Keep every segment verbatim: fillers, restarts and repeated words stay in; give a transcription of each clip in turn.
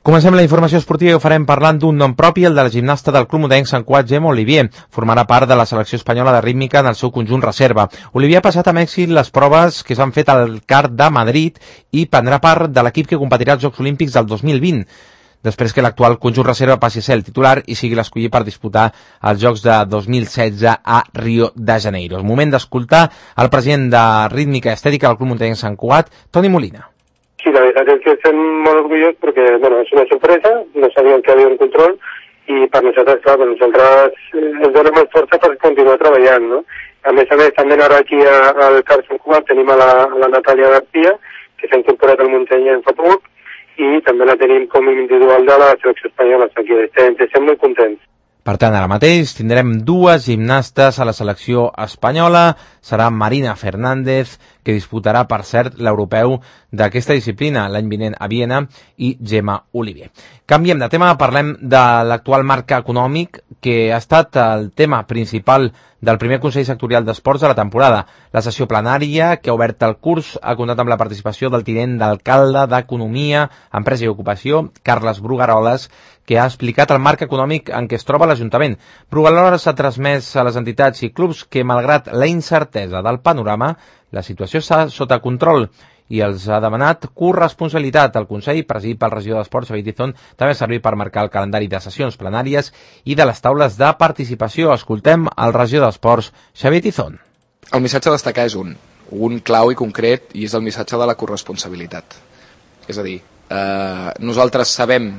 Comencem la informació esportiva i ho farem parlant d'un nom propi, el de la gimnasta del Club Muntanyenc Sant Cugat, Gemma Olivier. Formarà part de la selecció espanyola de rítmica en el seu conjunt reserva. Olivier ha passat amb èxit les proves que s'han fet al C A R de Madrid i prendrà part de l'equip que competirà als Jocs Olímpics del dos mil vint, després que l'actual conjunt reserva passi a ser el titular i sigui l'escollit per disputar els Jocs de dos mil setze a Rio de Janeiro. És moment d'escoltar el president de rítmica i estètica del Club Muntanyenc Sant Cugat, Toni Molina. Sí, la veritat és que estem molt orgullosos perquè, bueno, és una sorpresa, no sabíem que hi havia un control i per nosaltres, clar, per nosaltres ens dona més força per continuar treballant, no? A més a més, també ara aquí al C A R Sant Cugat tenim a la, a la Natàlia García, que s'ha incorporat al Muntanyenc fa poc, i també la tenim com a individual de la selecció espanyola, aquí estem, estem molt contents. Per tant, ara mateix tindrem dues gimnastes a la selecció espanyola. Serà Marina Fernández, que disputarà, per cert, l'europeu d'aquesta disciplina l'any vinent a Viena, i Gemma Olivier. Canviem de tema, parlem de l'actual marc econòmic, que ha estat el tema principal del primer Consell Sectorial d'Esports de la temporada. La sessió plenària, que ha obert el curs, ha comptat amb la participació del tinent d'alcalde d'Economia, Empresa i Ocupació, Carles Brugaroles, que ha explicat el marc econòmic en què es troba l'Ajuntament. Brugaroles ha transmès a les entitats i clubs que, malgrat la incertesa del panorama, la situació està sota control i els ha demanat corresponsabilitat. El Consell, presidit pel regidor d'Esports, Xavier Tizón, també ha servit per marcar el calendari de sessions plenàries i de les taules de participació. Escoltem el regidor d'Esports, Xavier Tizón. El missatge a destacar és un, un clau i concret, i és el missatge de la corresponsabilitat. És a dir, eh, nosaltres sabem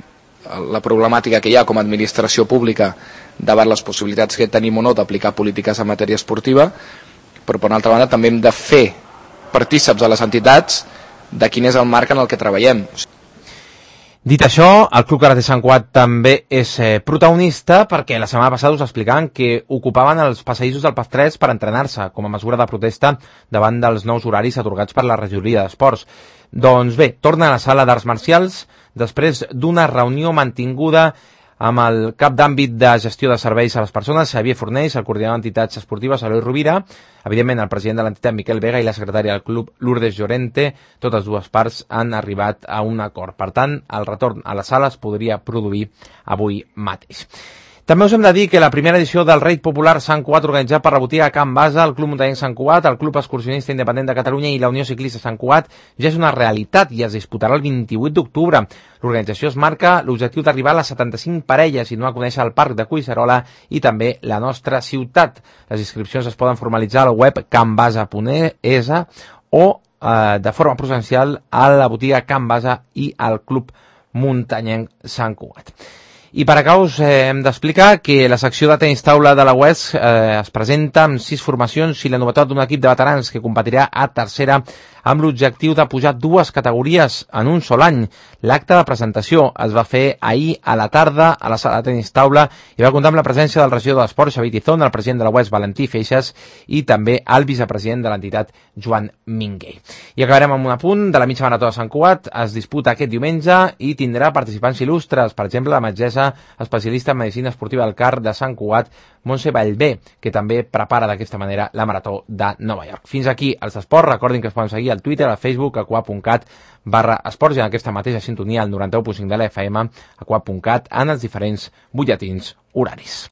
la problemàtica que hi ha com a administració pública davant les possibilitats que tenim o no d'aplicar polítiques en matèria esportiva, però per una altra banda també hem de fer partíceps a les entitats de quin és el marc en el que treballem. Dit això, el Club Karate Sant Cugat també és eh, protagonista, perquè la setmana passada us explicaven que ocupaven els passadissos del P A F tres per entrenar-se com a mesura de protesta davant dels nous horaris atorgats per la regidoria d'Esports. Doncs bé, torna a la sala d'arts marcials després d'una reunió mantinguda amb el cap d'àmbit de gestió de serveis a les persones, Xavier Fornells, el coordinador d'entitats esportives, Eloi Rovira, evidentment el president de l'entitat, Miquel Vega, i la secretària del club, Lourdes Llorente. Totes dues parts han arribat a un acord. Per tant, el retorn a les sales podria produir avui mateix. També us hem de dir que la primera edició del Raid Popular Sant Cugat, organitzat per la botiga Can Basa, el Club Muntanyenc Sant Cugat, el Club Excursionista Independent de Catalunya i la Unió Ciclista Sant Cugat, ja és una realitat i es disputarà el vint-i-vuit d'octubre. L'organització es marca l'objectiu d'arribar a les setanta-cinc parelles i no a conèixer el Parc de Collserola i també la nostra ciutat. Les inscripcions es poden formalitzar a la web canbasa punt es o eh, de forma presencial a la botiga Can Basa i al Club Muntanyenc Sant Cugat. I per acá us eh, hem d'explicar que la secció de tenis taula de la U E S eh, es presenta amb sis formacions i la novetat d'un equip de veterans que competirà a tercera amb l'objectiu de pujar dues categories en un sol any. L'acte de presentació es va fer ahir a la tarda a la sala de tenis taula i va comptar amb la presència del regidor d'Esports, Xavier Tizón, el president de la U E S, Valentí Feixas, i també el vicepresident de l'entitat, Joan Minguell. I acabarem amb un apunt de la mitja marató de Sant Cugat. Es disputa aquest diumenge i tindrà participants il·lustres, per exemple, la metgessa especialista en medicina esportiva del C A R de Sant Cugat, Montse Vallvé, que també prepara d'aquesta manera la marató de Nova York. Fins aquí els esports. Recordin que es poden seguir al Twitter, al Facebook, a cuat punt cat barra esports i en aquesta mateixa sintonia al noranta-u punt cinc de la F M, a cuat punt cat, en els diferents butlletins horaris.